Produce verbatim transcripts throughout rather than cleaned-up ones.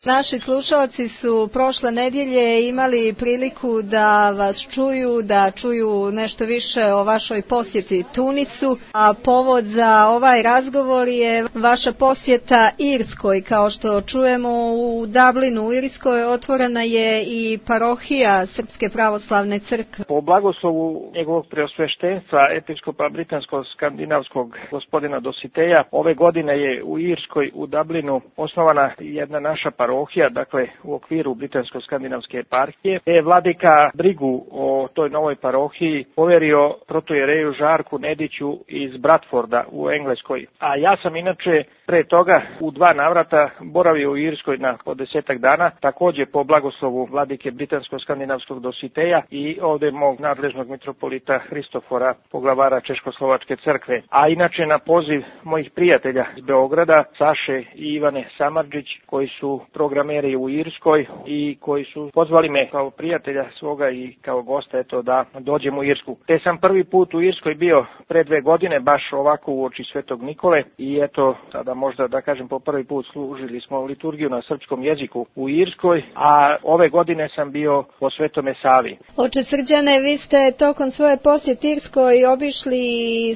Naši slušalci su prošle nedjelje imali priliku da vas čuju, da čuju nešto više o vašoj posjeti Tunisu, a povod za ovaj razgovor je vaša posjeta Irskoj. Kao što čujemo, u Dublinu u Irskoj otvorena je i parohija Srpske pravoslavne crkve. Po blagoslovu njegovog preosveštenstva episkopa britansko-skandinavskog gospodina Dositeja, ove godine je u Irskoj u Dublinu osnovana jedna naša parohija, dakle u okviru britansko-skandinavske eparhije. Je vladika brigu o toj novoj parohiji poverio protojereju Žarku Nediću iz Bradforda u Engleskoj. A ja sam inače pre toga u dva navrata boravio u Irskoj na po desetak dana, također po blagoslovu vladike britansko-skandinavskog Dositeja i ovdje mog nadležnog mitropolita Hristofora, poglavara Češkoslovačke crkve. A inače na poziv mojih prijatelja iz Beograda, Saše i Ivane Samardžić, koji su programeri u Irskoj i koji su pozvali me kao prijatelja svoga i kao gosta eto da dođem u Irsku. Te sam prvi put u Irskoj bio pre dve godine, baš ovako uoči Svetog Nikole i eto sada možda da kažem po prvi put služili smo liturgiju na srpskom jeziku u Irskoj, a ove godine sam bio po Svetome Savi. Oče Srđane, vi ste tokom svoje posjete Irskoj obišli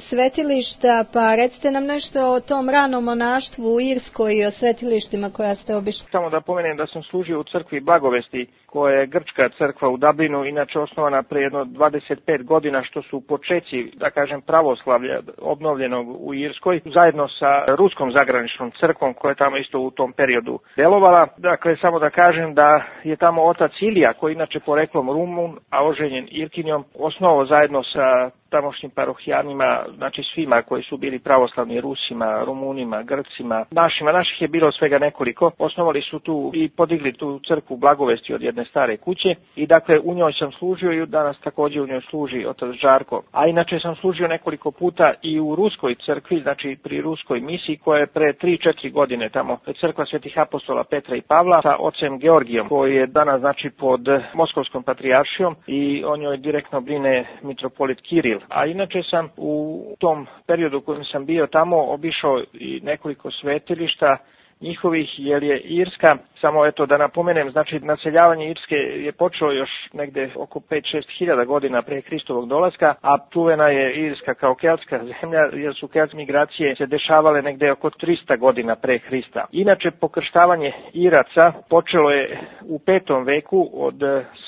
svetilišta, pa recite nam nešto o tom ranom monaštvu u Irskoj i o svetilištima koja ste obišli. Samo da pomenem da sam služio u crkvi Blagovesti, koja je grčka crkva u Dublinu, inače osnovana pre jedno dvadeset pet godina, što su počeci, da kažem, pravoslavlja obnovljenog u Irskoj, zajedno sa ruskom zagraničnom crkvom koja je tamo isto u tom periodu delovala. Dakle, samo da kažem da je tamo otac Ilija, koji inače poreklom Rumun, a oženjen Irkinjom, osnovao zajedno sa tamošnjim parohijanima, znači svima koji su bili pravoslavni, Rusima, Rumunima, Grcima, našima, naših je bilo svega nekoliko. Osnovali su tu i podigli tu crkvu Blagovesti od jedne stare kuće i dakle u njoj sam služio i danas također u njoj služi otac Žarko. A inače sam služio nekoliko puta i u ruskoj crkvi, znači pri ruskoj misiji koja je pre tri četiri godine tamo, crkva Svetih apostola Petra i Pavla sa ocem Georgijom, koji je danas znači pod Moskovskom patrijaršijom i o njoj direktno brine mitropolit Kiril. A inače sam u tom periodu u kojem sam bio tamo obišao i nekoliko svetilišta njihovih, jer je Irska, samo eto da napomenem, znači naseljavanje Irske je počelo još negde oko pet šest hiljada godina pre Hristovog dolaska, a čuvena je Irska kao keltska zemlja, jer su keltske migracije se dešavale negde oko trista godina pre Hrista. Inače, pokrštavanje Iraca počelo je u petom veku od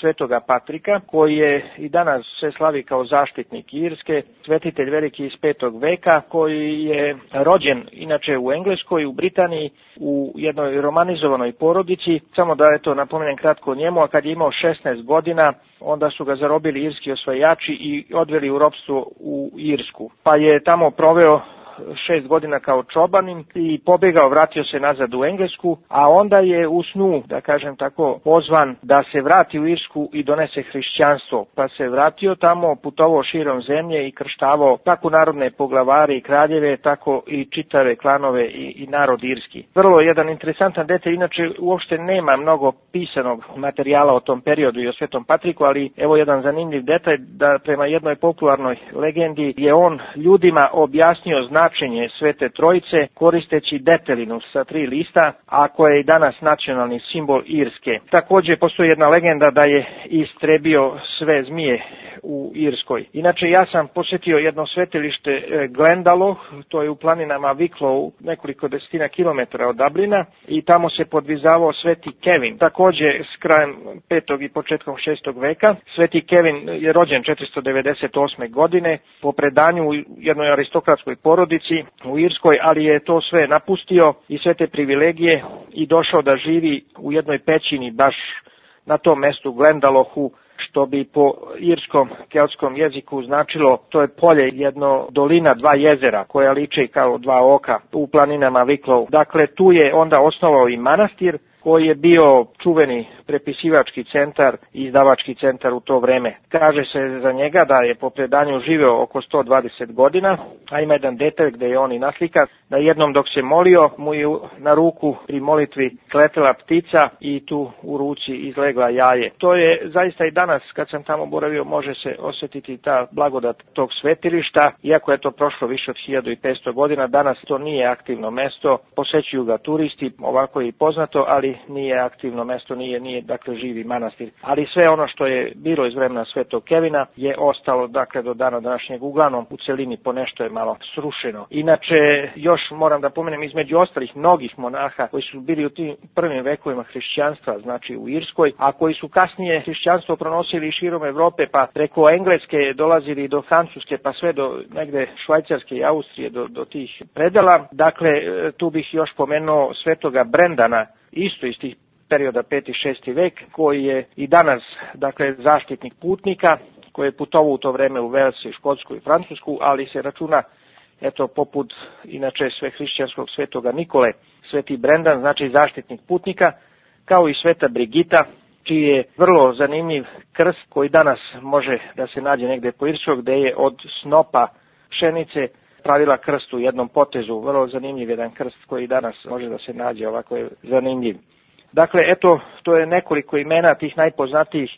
svetoga Patrika, koji je i danas se slavi kao zaštitnik Irske, svetitelj veliki iz petog veka, koji je rođen inače u Engleskoj, u Britaniji, u jednoj romanizovanoj porodici. Samo da eto napomenem kratko o njemu, a kad je imao šesnaest godina, onda su ga zarobili irski osvajači i odveli u ropstvo u Irsku. Pa je tamo proveo šest godina kao čobanin i pobjegao, vratio se nazad u Englesku, a onda je u snu, da kažem tako, pozvan da se vrati u Irsku i donese hrišćanstvo. Pa se vratio tamo, putovao širom zemlje i krštavao kako narodne poglavare i kraljeve, tako i čitave klanove i, i narod irski. Vrlo jedan interesantan detalj, inače uopšte nema mnogo pisanog materijala o tom periodu i o Svetom Patriku, ali evo jedan zanimljiv detalj, da prema jednoj popularnoj legendi je on ljudima objasnio značenje Svete Trojice koristeći detelinu sa tri lista, a koja je i danas nacionalni simbol Irske. Također postoji jedna legenda da je istrebio sve zmije u Irskoj. Inače, ja sam posjetio jedno svetilište Glendalough, to je u planinama Wicklow, nekoliko desetina kilometara od Dublina, i tamo se podvizavao Sveti Kevin. Također s krajem petog i početkom šestog veka. Sveti Kevin je rođen četiristo devedeset osme godine po predanju u jednoj aristokratskoj porodici u Irskoj, ali je to sve napustio i sve te privilegije i došao da živi u jednoj pećini baš na tom mestu Glendaloughu, što bi po irskom keltskom jeziku značilo, to je polje, jedno dolina, dva jezera koja liče kao dva oka u planinama Wicklow. Dakle, tu je onda osnovao i manastir koji je bio čuveni prepisivački centar i izdavački centar u to vreme. Kaže se za njega da je po predanju živeo oko sto dvadeset godina, a ima jedan detalj gde je on i naslika, da jednom dok se molio, mu je na ruku pri molitvi kletela ptica i tu u ruci izlegla jaje. To je zaista i danas, kad sam tamo boravio, može se osjetiti ta blagodat tog svetilišta, iako je to prošlo više od hiljadu petsto godina, danas to nije aktivno mesto, posećuju ga turisti, ovako je i poznato, ali ali nije aktivno mesto, nije, nije dakle živi manastir. Ali sve ono što je bilo iz vremena Svetog Kevina je ostalo dakle do dana današnjeg, uglavnom u celini ponešto je malo srušeno. Inače, još moram da pomenem između ostalih mnogih monaha koji su bili u tim prvim vekovima hrišćanstva, znači u Irskoj, a koji su kasnije hrišćanstvo pronosili širom Evrope, pa preko Engleske dolazili do Francuske, pa sve do negde Švajcarske i Austrije, do, do tih predela. Dakle, tu bih još pomenuo svetoga Brendana, isto iz tih perioda peti i šesti vek, koji je i danas dakle zaštitnik putnika, koji je putovao u to vreme u Vels, Škotsku i Francusku, ali se računa, eto, poput inače sve hrišćanskog svetoga Nikole, sveti Brendan, znači zaštitnik putnika, kao i sveta Brigita, čiji je vrlo zanimljiv krst koji danas može da se nađe negde po Irskoj, gde je od snopa pšenice pravila krst u jednom potezu. Vrlo zanimljiv jedan krst koji danas može da se nađe, ovako je zanimljiv. Dakle, eto, to je nekoliko imena tih najpoznatijih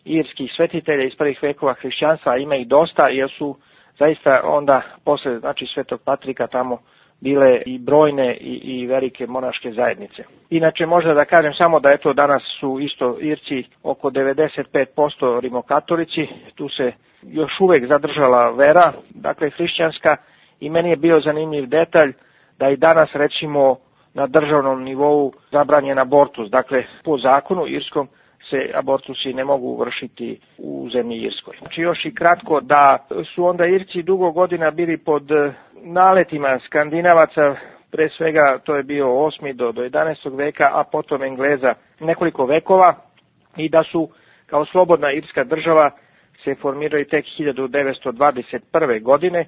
irskih svetitelja iz prvih vekova hrišćanstva, ima ih dosta, jer su zaista onda posle, znači, Svetog Patrika tamo bile i brojne i, i velike monaške zajednice. Inače, možda da kažem samo da eto danas su isto Irci oko devedeset pet posto rimokatolici, tu se još uvek zadržala vera, dakle hrišćanska, i meni je bio zanimljiv detalj da i danas recimo na državnom nivou zabranjen abortus, dakle po zakonu irskom se abortusi ne mogu vršiti u zemlji Irskoj. Znači još i kratko da su onda Irci dugo godina bili pod naletima Skandinavaca, pre svega to je bio osmi do jedanaestog veka, a potom Engleza nekoliko vekova, i da su kao slobodna irska država se formirali tek hiljadu devetsto dvadeset prve. godine,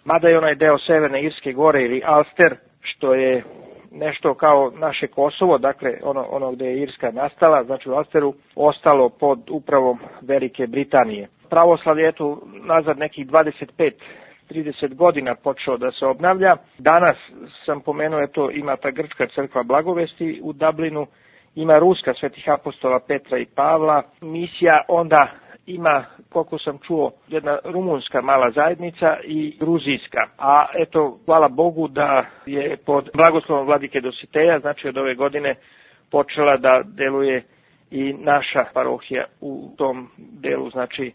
mada je onaj deo Severne Irske gore ili Ulster, što je nešto kao naše Kosovo, dakle ono, ono gde je Irska nastala, znači u Ulsteru, ostalo pod upravom Velike Britanije. Pravoslavlje je tu nazad nekih dvadeset pet do trideset godina počeo da se obnavlja. Danas sam pomenuo, eto, ima ta grčka crkva Blagovesti u Dublinu, ima ruska svetih apostola Petra i Pavla, misija onda ima, koliko sam čuo, jedna rumunska mala zajednica i gruzijska. A eto, hvala Bogu da je pod blagoslovom vladike Dositeja, znači od ove godine, počela da deluje i naša parohija u tom delu, znači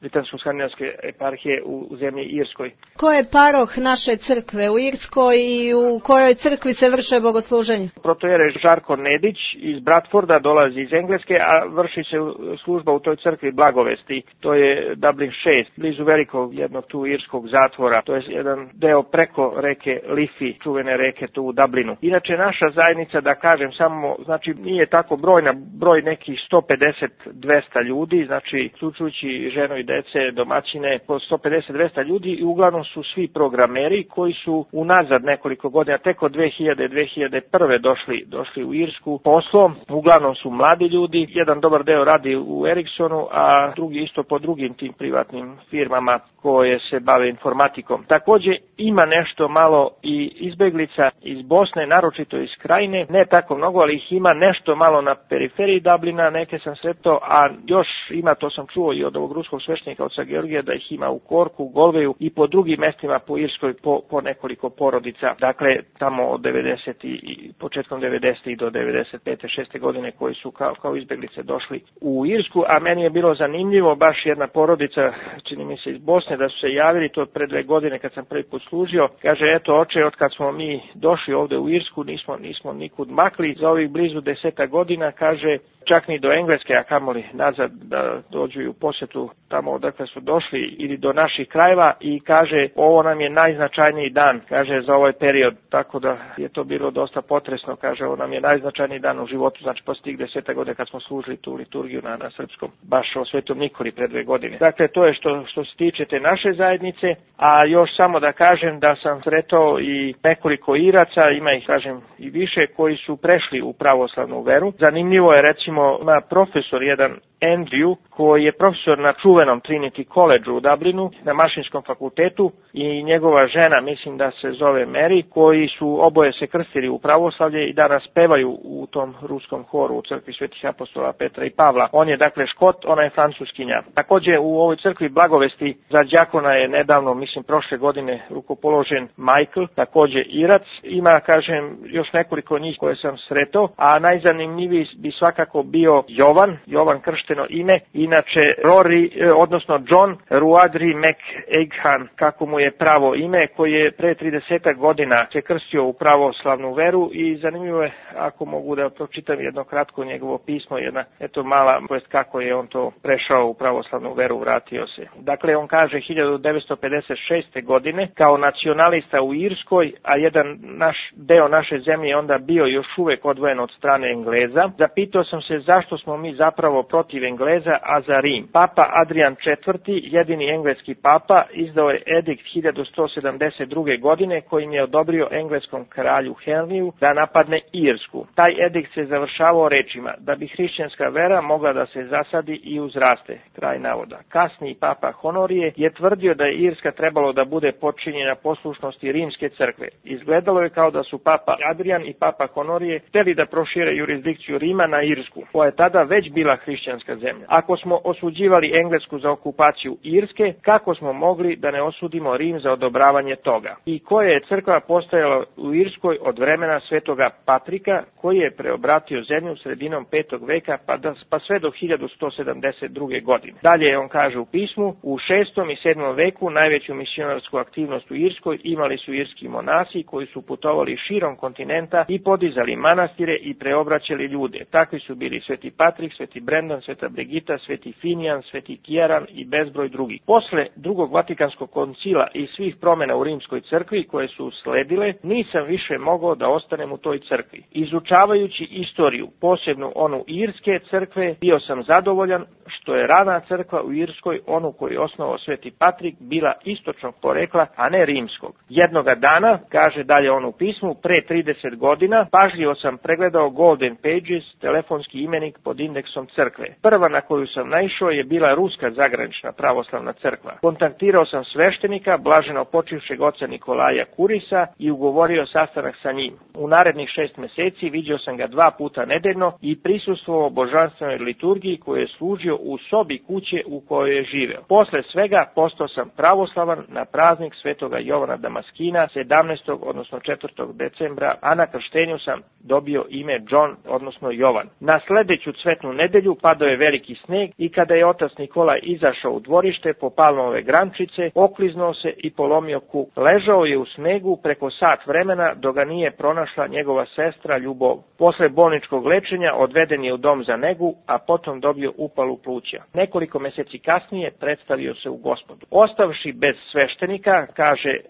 Britansko-skandinavske eparhije u zemlji Irskoj. Ko je paroh naše crkve u Irskoj i u kojoj crkvi se vrše bogosluženje? Protojere Žarko Nedić iz Bradforda dolazi iz Engleske, a vrši se služba u toj crkvi Blagovesti. To je Dublin šest, blizu velikog jednog tu irskog zatvora. To je jedan deo preko reke Liffey, čuvene reke tu u Dublinu. Inače, naša zajednica, da kažem samo, znači nije tako brojna, broj nekih sto pedeset do dvesta ljudi, znači uključujući ženu i dece, domaćine, po sto pedeset do dvesta ljudi, i uglavnom su svi programeri koji su unazad nekoliko godina, tek od dve hiljade do dve hiljade prve. došli, došli u Irsku poslom. Uglavnom su mladi ljudi, jedan dobar deo radi u Ericssonu, a drugi isto po drugim tim privatnim firmama koje se bave informatikom. Takođe ima nešto malo i izbeglica iz Bosne, naročito iz Krajine, ne tako mnogo, ali ih ima nešto malo na periferiji Dublina, neke sam sretao, a još ima, to sam čuo i od ovog ruskog sveštenika oca Georgija, da ih ima u Korku, Golveju i po drugim mestima po Irskoj po, po nekoliko porodica. Dakle, tamo od devedeset i početkom devedesetih do devedeset pete šeste godine koji su kao, kao izbeglice došli u Irsku, a meni je bilo zanimljivo, baš jedna porodica, čini mi se iz Bosne, da su se javili to pre dve godine kad sam prvi put služio. Kaže, eto oče, od kad smo mi došli ovde u Irsku, nismo, nismo nikud makli za ovih blizu deseta godina, kaže, čak ni do Engleske, a kamoli nazad da dođu u posjetu tamo odakle su došli ili do naših krajeva, i kaže, ovo nam je najznačajniji dan, kaže, za ovaj period, tako da je to bilo dosta potresno, kaže, ovo nam je najznačajniji dan u životu, znači posle tih deseta godina kad smo služili tu liturgiju na, na srpskom, baš o Svetom Nikoli pre dve godine. Dakle, to je što, što se tiče te naše zajednice, a još samo da kažem da sam sretao i nekoliko Iraca, ima ih, kažem, i više, koji su prešli u pravoslavnu veru. Zanimljivo je, recimo, ima profesor jedan Andrew, koji je profesor na čuvenom Trinity College u Dublinu, na mašinskom fakultetu, i njegova žena, mislim da se zove Mary, koji su oboje se krstili u pravoslavlje i danas pevaju u tom ruskom horu u crkvi Svetih apostola Petra i Pavla. On je dakle Škot, ona je Francuskinja. Također u ovoj crkvi Blagovesti za đakona je nedavno, mislim prošle godine, rukopoložen Michael, također Irac. Ima, kažem, još nekoliko njih koje sam sretao, a najzanimljiviji bi svakako bio Jovan, Jovan kršteno ime, inače Rory, odnosno John Ruadri McEghan, kako mu je pravo ime, koji je pre trideset godina se krstio u pravoslavnu veru i zanimljivo je, ako mogu da pročitam jedno kratko njegovo pismo, jedna eto mala, to jest kako je on to prešao u pravoslavnu veru, vratio se. Dakle, on kaže hiljadu devetsto pedeset šeste godine kao nacionalista u Irskoj, a jedan naš deo naše zemlje je onda bio još uvek odvojen od strane Engleza. Zapitao sam se zašto smo mi zapravo protiv Engleza, a za Rim. Papa Adrian četvrti, jedini engleski papa, izdao je edikt hiljadu sto sedamdeset druge godine kojim je odobrio engleskom kralju Henriju da napadne Irsku. Taj edikt se završavao rečima da bi hrišćanska vera mogla da se zasadi i uzraste. Kraj navoda. Kasniji papa Honorije je tvrdio da je Irska trebalo da bude podčinjena poslušnosti rimske crkve. Izgledalo je kao da su papa Adrian i papa Honorije hteli da prošire jurisdikciju Rima na Irsku, koja je tada već bila hrišćanska zemlja. Ako smo osuđivali Englesku za okupaciju Irske, kako smo mogli da ne osudimo Rim za odobravanje toga? I koja je crkva postojala u Irskoj od vremena svetoga Patrika, koji je preobratio zemlju sredinom petog veka pa, da, pa sve do hiljadu sto sedamdeset druge godine. Dalje on kaže u pismu, u šestom i sedmom veku najveću misionarsku aktivnost u Irskoj imali su irski monasi koji su putovali širom kontinenta i podizali manastire i preobraćali ljude. Takvi su bili Sveti Patrik, Sveti Brendan, Sveta Brigita, Sveti Finijan, Sveti Kijaran i bezbroj drugih. Posle drugog Vatikanskog koncila i svih promjena u rimskoj crkvi koje su sledile, nisam više mogao da ostanem u toj crkvi. Izučavajući istoriju, posebno onu irske crkve, bio sam zadovoljan što je rana crkva u Irskoj, onu koju je osnovao Sveti Patrik, bila istočnog porekla, a ne rimskog. Jednoga dana, kaže dalje on u pismu, pre trideset godina, pažljivo sam pregledao Golden Pages, telefonski imenik pod indeksom crkve. Prva na koju sam naišao je bila ruska zagranična pravoslavna crkva. Kontaktirao sam sveštenika, blaženo počivšeg oca Nikolaja Kurisa, i ugovorio sastanak sa njim. U narednih šest meseci vidio sam ga dva puta nedeljno i prisustvovao božanstvenoj liturgiji koju je služio u sobi kuće u kojoj je živeo. Posle svega postao sam pravoslavan na praznik svetoga Jovana Damaskina sedamnaestog odnosno četvrtog decembra, a na krštenju sam dobio ime John, odnosno Jovan. Na sledeću cvetnu nedelju padao je veliki sneg i kada je otac Nikolaj izašao u dvorište po palmove grančice, okliznuo se i polomio kuk. Ležao je u snegu preko sat vremena dok ga nije pronašla njegova sestra Ljubov. Posle bolničkog lečenja odveden je u dom za negu, a potom dobio upalu pluća. Nekoliko meseci kasnije predstavio se u Gospodu. Ostavši bez sveštenika, kaže e,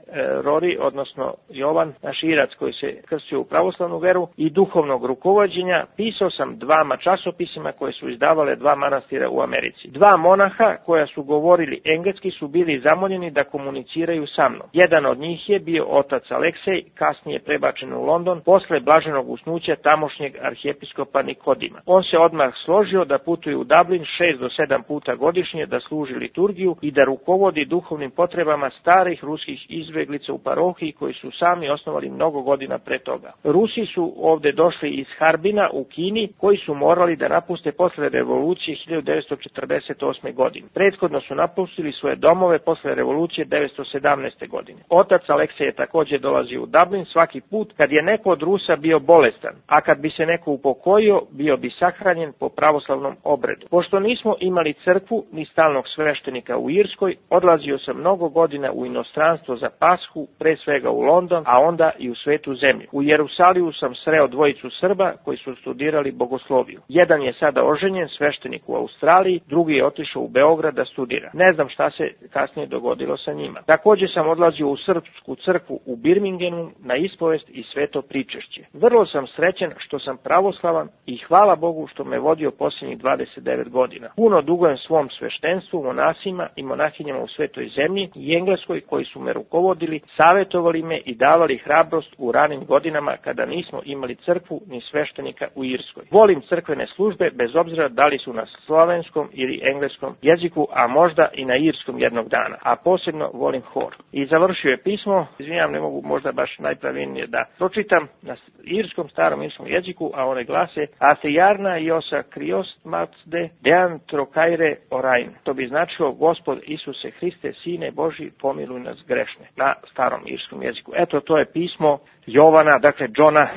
Rory, odnosno Jovan, naš Irac koji se krstio u pravoslavnu veru, i duhovnog rukovođenja, pisao sam dvama časopisima koje su izdavale dva manastira u Americi. Dva monaha koja su govorili engleski su bili zamoljeni da komuniciraju sa mnom. Jedan od njih je bio otac Aleksej, kasnije prebačen u London, posle blaženog usnuća tamošnjeg arhijepiskopa Nikodima. On se odmah složio da putuje u Dublin šest do sedam puta godišnje da služi liturgiju i da rukovodi duhovnim potrebama starih ruskih izbeglica u parohiji koji su sami osnovali mnogo godina pre toga. Rusi su ovde došli iz Harbina u Kini, koji su morali da napuste posle revolucije hiljadu devetsto četrdeset osme godine. Prethodno su napustili svoje domove posle revolucije devetsto sedamnaeste godine. Otac Aleksej je također dolazio u Dublin svaki put kad je neko od Rusa bio bolestan, a kad bi se neko upokojio, bio bi sahranjen po pravoslavnom obredu. Pošto nismo imali crkvu ni stalnog sveštenika u Irskoj, odlazio sam mnogo godina u inostranstvo za Pashu, pre svega u London, a onda i u svetu zemlju. U Jerusaliju sam sreo dvojicu Srba koji su studirali bogosloviju. Jedan je sada oženjen, sveštenik u Australiji, drugi je otišao u Beograd da studira. Ne znam šta se kasnije dogodilo sa njima. Također sam odlazio u srpsku crkvu u Birminghamu na ispovest i sveto pričešće. Vrlo sam srećen što sam pravoslavan i hvala Bogu što me vodio posljednjih dvadeset devet godina. godina. Puno dugujem svom sveštenstvu, monasima i monahinjama u Svetoj zemlji i Engleskoj koji su me rukovodili, savjetovali me i davali hrabrost u ranim godinama kada nismo imali crkvu ni sveštenika u Irskoj. Volim crkvene službe bez obzira da li su na slovenskom ili engleskom jeziku, a možda i na irskom jednog dana, a posebno volim hor. I završio je pismo, izvinjam, ne mogu možda baš najpravilnije da pročitam na irskom, starom irskom jeziku, a one glase Athejarna Iosa Kriost Macde Dean Trokaire Orain. To bi značilo Gospod Isuse Hriste, Sine Boži, pomiluj nas grešne, na starom irskom jeziku. Eto, to je pismo Jovana, dakle Johna,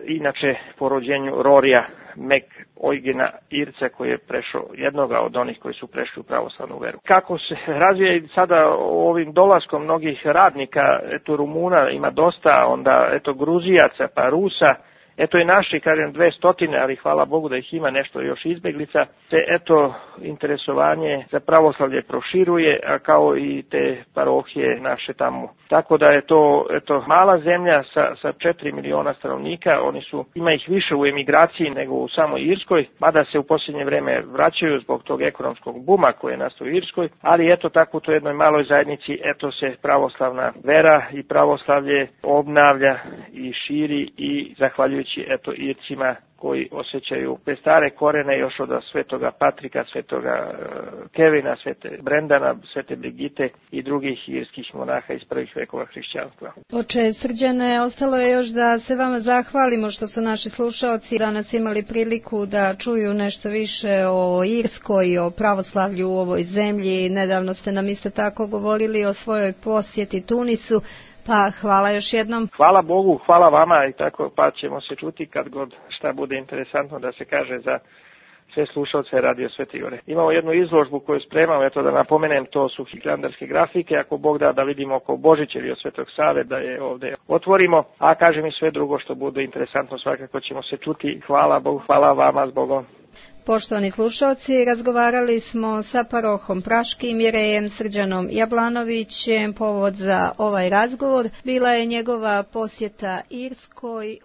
inače po rođenju Rorija Mek Oigena Irca, koji je prešao, jednoga od onih koji su prešli u pravoslavnu veru. Kako se razvija sada ovim dolaskom mnogih radnika, eto Rumuna ima dosta, onda eto Gruzijaca, pa Rusa, eto i naši, kažem, dve stotine, ali hvala Bogu da ih ima nešto još izbeglica, te eto interesovanje za pravoslavlje proširuje, a kao i te parohije naše tamo. Tako da je to eto mala zemlja sa, sa četiri miliona stanovnika, oni su, ima ih više u emigraciji nego u samoj Irskoj, mada se u posljednje vreme vraćaju zbog tog ekonomskog buma koji je nastao u Irskoj, ali eto tako u toj jednoj maloj zajednici, eto se pravoslavna vera i pravoslavlje obnavlja i širi i zahvaljujući eto Ircima koji osjećaju te stare korene još od svetoga Patrika, svetoga Kevina, svete Brendana, svete Brigite i drugih irskih monaha iz prvih vekova hrišćanstva. Oče Srđane, ostalo je još da se vama zahvalimo što su naši slušaoci danas imali priliku da čuju nešto više o Irskoj i o pravoslavlju u ovoj zemlji. Nedavno ste nam isto tako govorili o svojoj posjeti Tunisu. Pa hvala još jednom. Hvala Bogu, hvala vama i tako, pa ćemo se čuti kad god šta bude interesantno da se kaže za sve slušalce Radio Svete Gore. Imamo jednu izložbu koju spremamo, eto da napomenem, to su hilandarske grafike, ako Bog da da vidimo oko Božića ili od Svetog Save da je ovdje otvorimo, a kažem i sve drugo što bude interesantno, svakako ćemo se čuti. Hvala Bogu, hvala vama s Bogom. Poštovani slušalci, razgovarali smo sa parohom Praškim jerejem Srđanom Jablanovićem. Povod za ovaj razgovor bila je njegova posjeta Irskoj